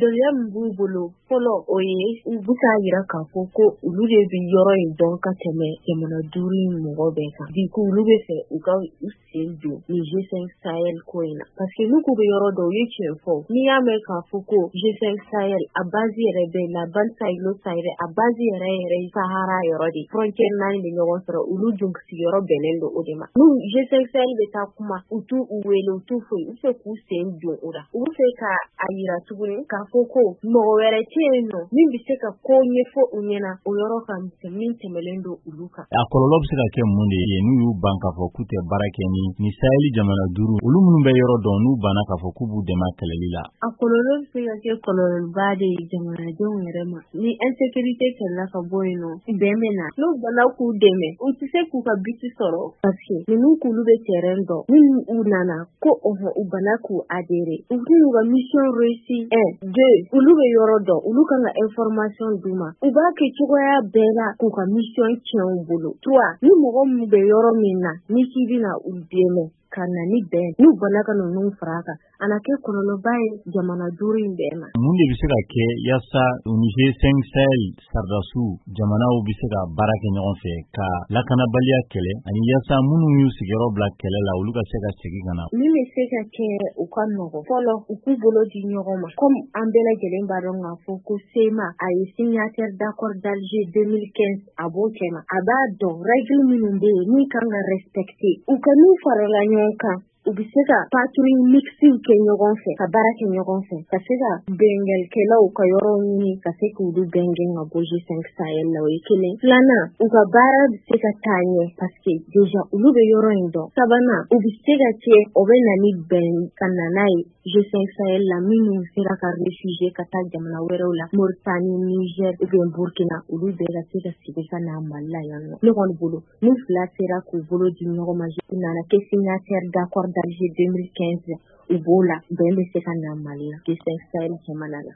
Dɔnniya min b'u bolo fɔlɔ, o ye u bɛ k'a jira k'a fɔ ko olu de bɛ yɔrɔ in dɔn ka tɛmɛ jamana 5 in mɔgɔ bɛɛ kan. Du coup, olu bɛ fɛ u ka u sen don nin G5 Sahel ko in na, parce que n'u k'u bɛ yɔrɔ dɔn, u ye tiɲɛ fɔ. N'i y'a mɛn k'a fɔ ko G5 Sahel, a base yɛrɛ bɛ la bande sahélo-saharienne, a base yɛrɛ yɛrɛ Sahara yɔrɔ de, frontière 4 bɛ ɲɔgɔn sɔrɔ, olu dun sigiyɔrɔ bɛnnen don o de ma. N'u G5 Sahel bɛ taa kuma, u t'u wele, u t'u foyi, u fɛ k'u sen don o la. U bɛ fɛ ka a yira tuguni k'a fɔ ko mɔgɔ wɛrɛ tɛ yen nɔ min bɛ se ka ko ɲɛfɔ u ɲɛna o yɔrɔ kan min tɛmɛlen don olu kan. A kɔlɔlɔ bɛ se ka kɛ mun de ye n'u y'u ban k'a fɔ k'u tɛ baara kɛ ni Sahel jamana 5 olu minnu bɛ yɔrɔ dɔn, n'u banna k'a fɔ k'u b'u dɛmɛ kɛlɛli la? A kɔlɔlɔ bɛ se ka kɛ kɔlɔlɔba de ye jamanadenw yɛrɛ ma. Ni insécurité kɛlɛla ka bɔ yen nɔ, bɛn bɛ na. N'u banna k'u dɛmɛ, u tɛ se k'u ka but sɔrɔ, parce que ninnu k'olu bɛ terrain dɔn. Minnu u nana ko ɔhɔn, u banna k'u adhérer, u t'u ka mission réussi. 1, 2, olu bɛ yɔrɔ dɔn, olu kan ka information d'u ma, u b'a kɛ cogoya bɛɛ la k'u ka mission tiɲɛ u bolo. 3, ni mɔgɔ min bɛ yɔrɔ min na, ni k'i bɛna u dɛmɛ ka na ni bɛn, n'u banna ka ninnu fara a kan, a na kɛ kɔlɔlɔba ye jamana 5 in bɛɛ ma. Mun de bɛ se ka kɛ yaasa ni G5 Sahel sardasiw jamanaw bɛ se ka baara kɛ ɲɔgɔn fɛ ka lakanabaliya kɛlɛ, ani yaasa minnu y'u sigiyɔrɔ bila kɛlɛ la, olu ka se ka segin ka na? Min bɛ se ka kɛ u ka nɔgɔ, fɔlɔ, u k'u bolo di ɲɔgɔn ma. Comme an bɛɛ lajɛlen b'a dɔn k'a fɔ ko CMA, a ye signataire d'accord d'Alger 2015, a b'o cɛma, a b'a dɔn règle minnu bɛ yen min kan ka respecter. U ka n'u farala ɲɔgɔn kan, u bɛ se ka patrouille mixte kɛ ɲɔgɔn fɛ, ka baara kɛ ɲɔgɔn fɛ, ka se ka bɛnkalikɛlaw ka yɔrɔ ɲini, ka se k'olu bɛn gɛn ka bɔ G5 Sahel la. O ye kelen. Filanan, u ka baara bɛ se ka taa ɲɛ, parce que déjà olu bɛ yɔrɔ in dɔn. Sabanan, u bɛ se ka kɛ o bɛ na ni bɛn ka na n'a ye G5 Sahel la, minnu sera ka réfugier ka taa jamana wɛrɛw la, Mauritanie, Niger ou bien Burkina, olu bɛɛ ka se ka segin ka na Mali la yan nɔ. Ne kɔni bolo, n'u fila sera k'u bolo di ɲɔgɔn ma, u nana kɛ signataire d'accord d'Alger 2015, u b'o la, bɛn bɛ se ka na Mali la, G5 Sahel jamana la.